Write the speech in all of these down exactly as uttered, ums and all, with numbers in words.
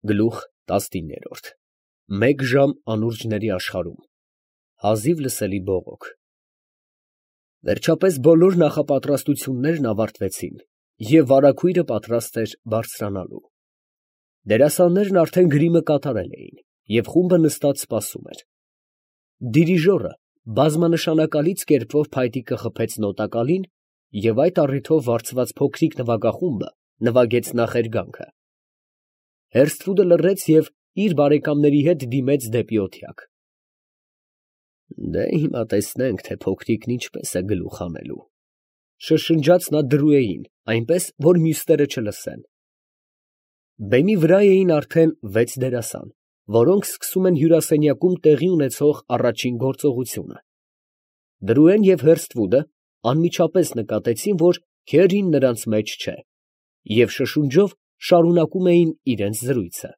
Գլուխ տասնիններորդ Մեկ ժամ անուրջների աշխարհում, հազիվ լսելի բողոք։ Վերջապես բոլոր նախապատրաստություններն ավարտվեցին, և վարագույրը պատրաստ էր բարձրանալու։ Դերասաններն արդեն գրիմը կատարել էին, և խումբը նստած սպասում էր։ Դիրիժորը բազմանշանակալից կերպով փայտիկը խփեց նոտակալին, և այդ առիթով վարձված փոքրիկ նվագախումբը նվագեց նախերգանքը։ Հերսթվուդը լռեց և իր բարեկամների հետ դիմեց դեպի օթյակ։ Հիմա տեսնենք, թե փոքրիկն ինչպես է գլուխ հանելու, ֊ շշնջաց նա Դրուեին, այնպես, որ մյուսները չլսեն։ Բեմի վրա էին արդեն վեց դերասան, որոնք սկսում են հյուրասենյակում տեղի ունեցող առաջին գործողությունը։ Դրուեն և Հերսթվուդը անմիջապես նկատեցին, որ քերին նրանց մեջ չէ, և շշունջով շարունակում էին իրենց զրույցը։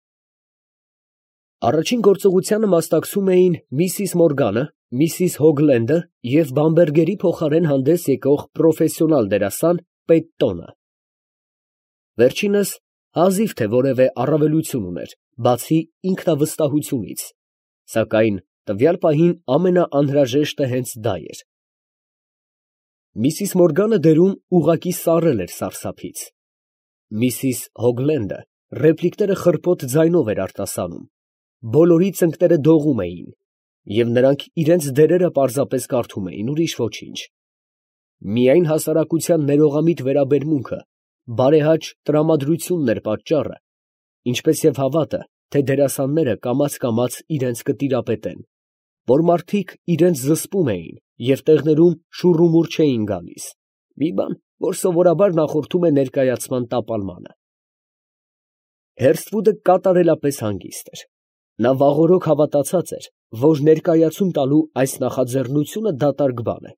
Առաջին գործողությանը մասնակցում էին Միսիս Մորգանը, Միսիս Հոգլենդը և Բամբերգերի փոխարեն հանդես եկող պրոֆեսիոնալ դերասան Պետտոնը։ Վերջինս հազիվ թե որևէ առավելություն ուներ, բացի ինքնավստահությունից, սակայն տվյալ պահին ամենաանհրաժեշտը հենց դա էր։ Միսիս Մորգանը դերում ուղղակի սառել էր սարսափից։ Միսիս Հոգլենդը ռեպլիկները խռպոտ ձայնով էր արտասանում, բոլորի ծնկները դողում էին, և նրանք իրենց դերերը պարզապես կարդում էին, ուրիշ ոչինչ։ Միայն հասարակության ներողամիտ վերաբերմունքը, բարեհաճ տրամադրությունն էր պատճառը, ինչպես և հավատը, թե դերասանները կամաց֊կամաց իրենց կտիրապետեն, որ մարդիկ իրենց զսպում էին և տեղներում շուռումուռ չէին գալիս, մի բան, որ սովորաբար նախորդում է ներկայացման տապալմանը։ Հերսթվուդը կատարելապես հանգիստ էր. նա վաղօրոք հավատացած էր, որ ներկայացում տալու այս նախաձեռնությունը դատարկ բան է,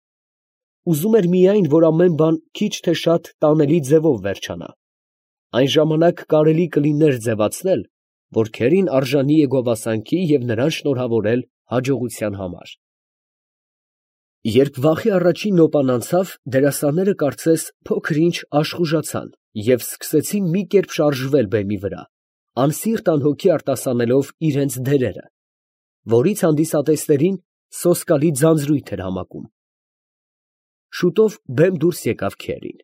ուզում էր միայն, որ ամեն բան քիչ թե շատ տանելի ձևով վերջանա, այն ժամանակ կարելի կլիներ ձևացնել, որ քերին արժանի է գովասանքի և նրան շնորհավորել հաջողության համար։ Երբ վախի առաջին նոպան անցավ, դերասանները կարծես փոքր֊ինչ աշխուժացան և սկսեցին մի կերպ շարժվել բեմի վրա, անսիրտ անհոգի արտասանելով իրենց դերերը, որից հանդիսատեսներին սոսկալի ձանձրույթ էր համակում։ Շուտով բեմ դուրս եկավ քերին։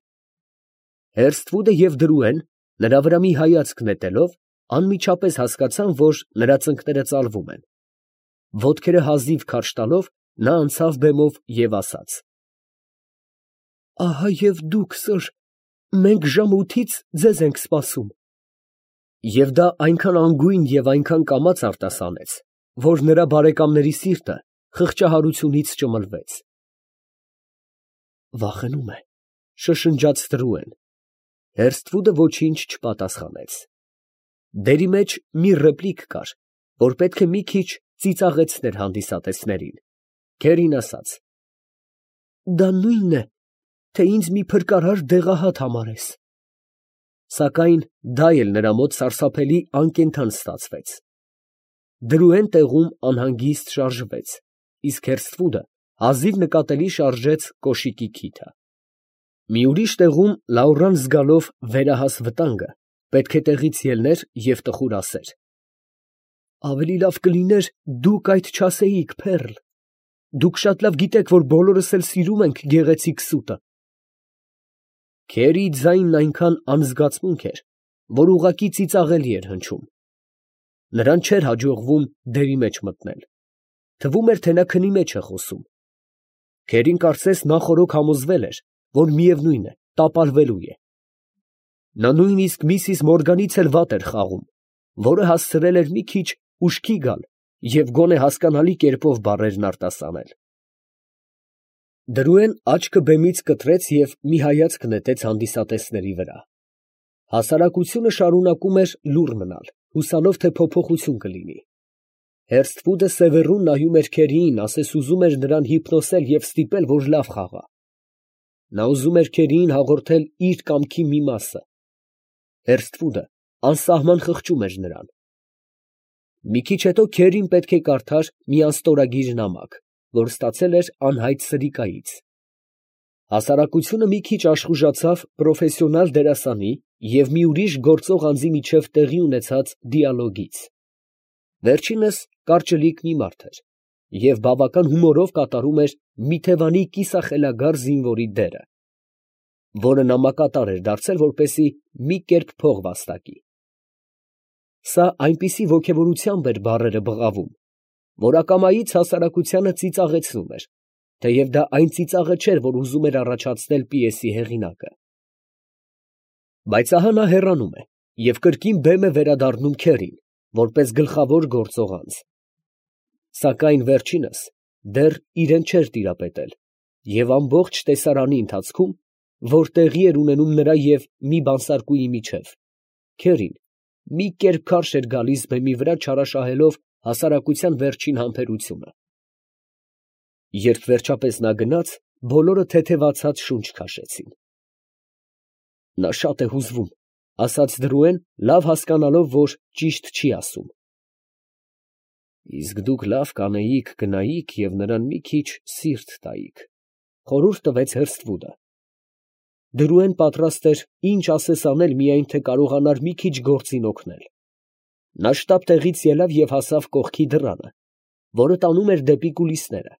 Հերսթվուդը և Դրուեն, նրա վրա մի հայացք նետելով, անմիջապես հասկացան, որ նրա ծնկները ծալվում են։ Ոտքերը հազիվ քարշ տալով, նա անցավ բեմով և ասաց. ֊ Ահա դուք, սըր, մենք ժամը ութից ձեզ ենք սպասում։ Եվ դա այնքան անգույն և այնքան կամաց արտասանեց, որ նրա բարեկամների սիրտը խղճահարությունից ճմլվեց։ Վախենում է, ֊ շշնջաց Դրուեն։ Հերսթվուդը ոչինչ չպատասխանեց։ Դերի մեջ մի ռեպլիկ կար, որ պետք է մի քիչ ծիծաղեցներ հանդիսատեսներին։ Քերին ասաց. ֊ Դա նույնն է, թե ինձ մի փրկարար դեղահատ համարես։ Սակայն դա էլ նրա մոտ սարսափելի անկենդան ստացվեց։ Դրուեն տեղում անհանգիստ շարժվեց, իսկ Հերսթվուդը հազիվ նկատելի շարժեց կոշիկի քիթը։ Մի ուրիշ տեղում Լաուռան զգալով վերահաս վտանգը, պետք է տեղից ելներ և տխուր ասեր. «Ավելի լավ կլիներ դուք այդ չասեիք, Փեռլ. դուք շատ լավ գիտեք, որ բոլորս էլ սիրում ենք գեղեցիկ սուտը»։ Քերիի ձայնն այնքան անզգացմունք էր, որ ուղղակի ծիծաղելի էր հնչում։ Նրան չէր հաջողվում դերի մեջ մտնել, թվում էր, թե նա քնի մեջ է խոսում։ Քերին կարծես նախօրոք համոզվել էր, որ միևնույն է, տապալվելու է։ Նա նույնիսկ Միսիս Մորգանից էլ վատ էր խաղում, որը հասցրել էր մի քիչ ուշքի գալ և գոնե հասկանալի կերպով բառերն արտասանել։ Դրուեն աչքը բեմից կտրեց և մի հայացք նետեց հանդիսատեսների վրա։ Հասարակությունը շարունակում էր լուռ մնալ, հուսալով, թե փոփոխություն կլինի։ Հերսթվուդը սևեռուն նայում էր քերիին, ասես ուզում էր նրան հիպնոսել և ստիպել, որ լավ խաղա։ Նա ուզում էր քերիին հաղորդել իր կամքի մի մասը։ Հերսթվուդը անսահման խղճում էր նրան։ Մի քիչ հետո քերին պետք է կարդար մի անստորագիր նամակ, որ ստացել էր անհայտ սրիկայից։ Հասարակությունը մի քիչ աշխուժացավ պրոֆեսիոնալ դերասանի և մի ուրիշ գործող անձի միջև տեղի ունեցած դիալոգից. վերջինս կարճլիկ մի մարդ էր և բավական հումորով կատարում էր մի թևանի կիսախելագար զինվորի դերը, որը նամակատար էր դարձել, որպեսզի մի կերպ փող վաստակի։ Սա այնպիսի ոգևորությամբ էր բառերը բղավում, որ ակամայից հասարակությանը ծիծաղեցնում էր, թեև դա այն ծիծաղը չէր, որ ուզում էր առաջացնել պիեսի հեղինակը։ Բայց ահա նա հեռանում է և կրկին բեմ է վերադառնում քերին, որպես գլխավոր գործող անձ։ Սակայն վերջինս դեռ իրեն չէր տիրապետել և ամբողջ տեսարանի ընթացքում, որ տեղի էր ունենում նրա և մի բանսարկուի միջև, քերին մի կերպ քարշ էր գալիս բեմի վրա չարաշահելով հասարակության վերջին համբերությունը։ Երբ վերջապես նա գնաց, բոլորը թեթևացած շունչ քաշեցին։ «Նա շատ է հուզվում», ֊ ասաց Դրուեն, լավ հասկանալով, որ ճիշտ չի ասում։ «Իսկ դուք լավ կանեիք գնայիք և նրան մի քիչ սիրտ տայիք», ֊ խորհուրդ տվեց Հըրսթվուդը։ Դրուեն պատրաստ էր ինչ ասես անել, միայն թե կարողանար մի քիչ գործին օգնել։ Նա շտապ տեղից ելավ և հասավ կողքի դռանը, որը տանում էր դեպի կուլիսները։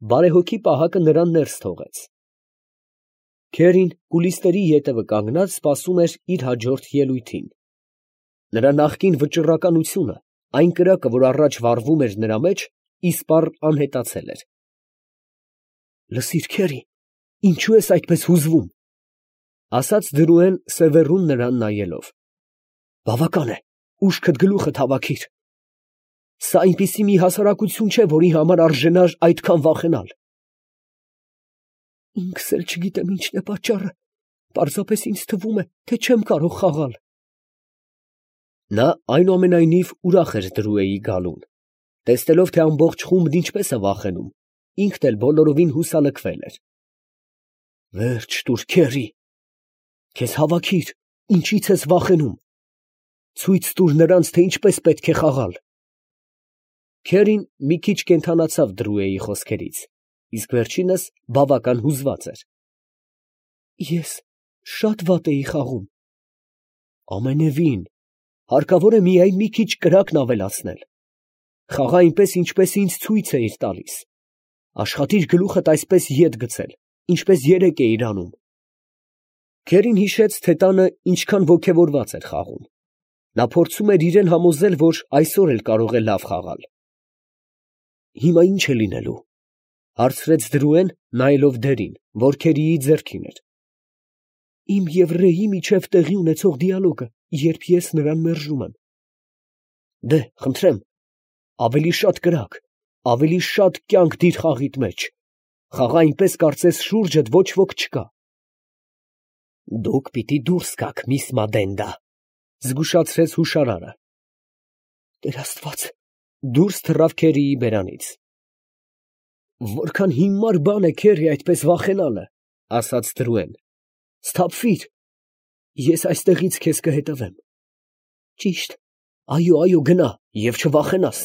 Բարեհոգի պահակը նրան ներս թողեց։ Քերին կուլիսների ետևը կանգնած սպասում էր իր հաջորդ ելույթին։ Նրա նախկին վճռականությունը, այն կրակը, որ առաջ վառվում էր նրա մեջ, իսպառ անհետացել էր։ «Լսիր, քերի, ինչո՞ւ ես այդպես հուզվում», ֊ ասաց Դրուեն սևեռուն նրան նայելով։ «Բավական է, ուշքդ գլուխդ հավաքիր. սա այնպիսի մի հասարակություն չէ, որի համար արժենար այդքան վախենալ»։ «Ինքս էլ չգիտեմ ինչն է պատճառը, պարզապես ինձ թվում է, թե չեմ կարող խաղալ»։ Նա այնուամենայնիվ ուրախ էր Դրուեի գալուն, տեսնելով, թե ամբողջ խումբն ինչպես է վախենում, ինքն էլ բոլորովին հուսալքվել էր։ «Վերջ տուր, քերի, քեզ հավաքիր, ինչից ես վախենում, ցույց տուր նրանց, թե ինչպես պետք է խաղալ»։ Քերին մի քիչ կենդանացավ Դրուեի խոսքերից, իսկ վերջինս բավական հուզված էր։ «Ես շատ վատ էի խաղում»։ «Ամենևին, հարկավոր է միայն մի քիչ կրակն ավելացնել։ Խաղա այնպես, ինչպես ինձ ցույց էիր տալիս։ Աշխատիր գլուխդ այսպես ետ գցել, ինչպես երեկ էիր անում»։ Քերին հիշեց, թե տանը ինչքան ոգևորված էր խաղում։ Նա փորձում էր իրեն համոզել, որ այսօր էլ կարող է լավ խաղալ։ «Հիմա ի՞նչ է լինելու», ֊ հարցրեց Դրուեն, նայելով դերին, որ քերիի ձեռքին էր։ «Իմ և Ռեյի միջև տեղի ունեցող դիալոգը, երբ ես նրան մերժում եմ»։ «Դե, խնդրեմ, ավելի շատ կրակ, ավելի շատ կյանք դիր խաղիդ մեջ, խաղա այնպես, կարծես շուրջդ ոչ ոք չկա»։ «Դուք պիտի դուրս գաք, միս Մադենդա», ֊ զգուշացրեց հուշարարը։ «Տեր Աստված», ֊ դուրս թռավ քերիի բերանից։ «Որքան հիմար բան է, քերի, այդպես վախենալը», ֊ ասաց Դրուեն։ «Սթափվիր, ես այստեղից քեզ կհետևեմ»։ «Ճիշտ, այո, այո, գնա և չվախենաս»։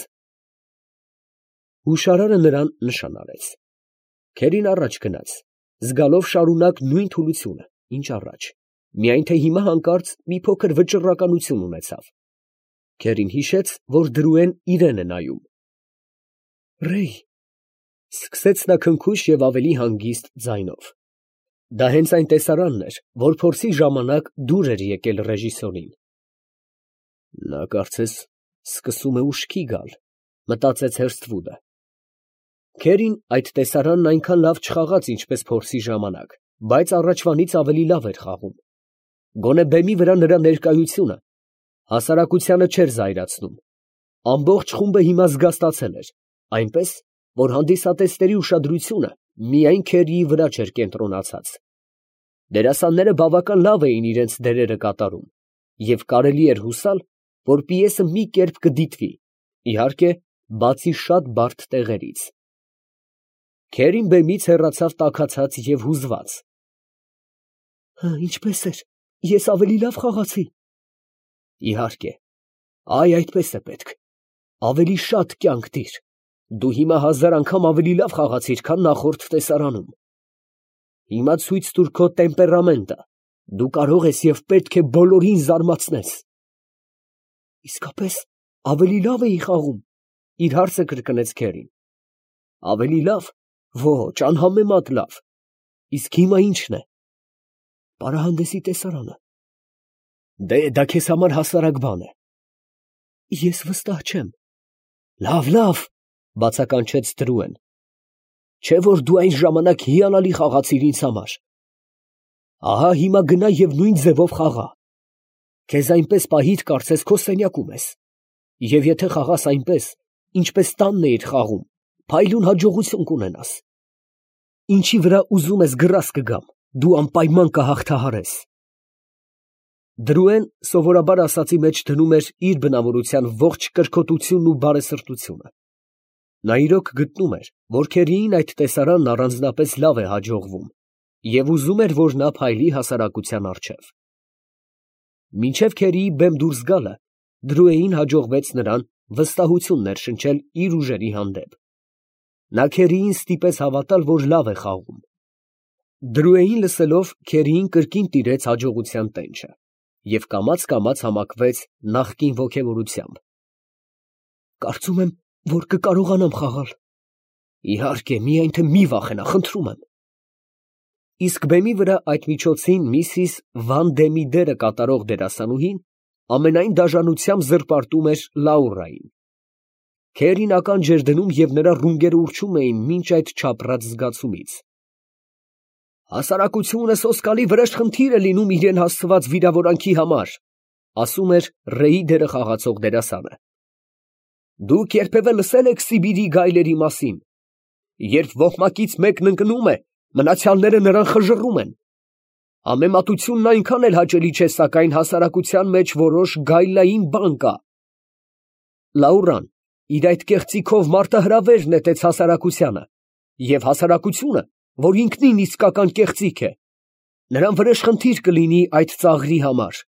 Հուշարարը նրան նշան արեց։ Քերին առաջ գնաց, զգալով շարունակ նույն թուլությունը, ինչ առաջ, միայն թե հիմա հանկարծ մի փոքր վճռականություն ունեցավ։ Քերին հիշեց, որ Դրուեն իրան է նայում։ «Ռեյ», ֊ սկսեց նա քնքուշ և ավելի հանգիստ ձայնով։ Դա հենց այն տեսարանն էր, որ փորձի ժամանակ դուր էր եկել ռեժիսորին։ «Նա կարծես սկսում է ուշքի գալ», ֊ մտածեց Հըրսթվուդը։ Քերին այդ տեսարանն այնքան լավ չխաղաց, ինչպես փորձի ժամանակ, բայց առաջվանից ավելի լավ էր խաղում։ Գոնե բեմի վրա նրա ներկայությունը հասարակությանը չէր զայրացնում։ Ամբողջ խումբը հիմա զգաստացել էր, այնպես, որ հանդիսատեսների ուշադրությունը միայն Քերիի վրա չէր կենտրոնացած։ Դերասանները բավական լավ էին իրենց դերերը կատարում, և կարելի էր հուսալ, որ պիեսը մի կերպ կդիտվի, իհարկե, բացի շատ բարդ տեղերից։ Քերին բեմից հեռացավ տաքացած և հուզված։ «Ինչպե՞ս էր, ես ավելի լավ խաղացի»։ «Իհարկե, այ այդպես է պետք, ավելի շատ կյանք դիր, դու հիմա հազար անգամ ավելի լավ խաղացիր, քան նախորդ տեսարանում»։ Հիմա ցույց տուր քո տեմպերամենտը, դու կարող ես և պետք է բոլորին զարմացնես։ Իսկապես ավելի լավ էի խաղում, իր հարցը կրկնեց Քերին։ Ավելի լավ, ոչ, անհամեմատ լավ, իսկ հիմա ի՞նչն է։ Պարահանդեսի տեսարանը։ Դե դա քեզ համար հասարակ բան է։ Ես վստահ չեմ։ Լավ, լավ, բացականչեց Տրուեն։ Չէ՞ որ դու այն ժամանակ հիանալի խաղացիր ինձ համար։ Ահա հիմա գնա և նույն ձևով խաղա։ Քեզ այնպես պահիր, կարծես քո սենյակում ես։ Եվ եթե խաղաս այնպես, ինչպես տանն էիր խաղում, փայլուն հաջողություն կունենաս։ Ինչի վրա ուզում ես գրաս կգամ, դու անպայման կհաղթահարես։ Դրուեն սովորաբար ասածի մեջ դնում էր իր բնավորության ողջ կրքոտությունն ու բարեսրտությունը։ Նա իրոք գտնում էր, որ Քերիին այդ տեսարանն առանձնապես լավ է հաջողվում, և ուզում էր, որ նա փայլի հասարակության առջև։ Մինչև Քերիի բեմ դուրս գալը, Դրուեին հաջողվեց նրան վստահություն ներշնչել իր ուժերի հանդեպ։ Նա Քերիին ստիպեց հավատալ, որ լավ է խաղում։ Դրուեին լսելով, Քերիին կրկին տիրեց հաջողության տենչը և կամաց֊կամաց համակվեց նախկին ոգևորությամբ։ Կարծում եմ, որ կկարողանամ խաղալ։ Իհարկե, միայն թե մի վախենա, խնդրում եմ։ Իսկ բեմի վրա այդ միջոցին միսիս Վանդեմի դերը կատարող դերասանուհին ամենայն դաժանությամբ զրպարտում էր Լաուրային։ Քերին ականջ էր դնում, և նրա ռունգերը ուռչում էին մինչ այդ չապռած զգացումից։ Հասարակությունը սոսկալի վրեժխնդիր է լինում իրան հասցված վիրավորանքի համար, ասում էր Ռեի դերը խաղացող դերասանը։ Դուք երբևէ լսե՞լ եք Սիբիրի գայլերի մասին։ Երբ ոհմակից մեկն ընկնում է, մնացյալները նրան խժռում են։ Համեմատությունն այնքան էլ հաճելի չէ, սակայն հասարակության մեջ որոշ գայլային բան կա։ Լաուրան իր այդ կեղծիքով մարտահրավեր նետեց հասարակությանը, և հասարակությունը, որ ինքնին իսկական կեղծիք է, նրան վրեժխնդիր կլինի այդ ծաղրի համար։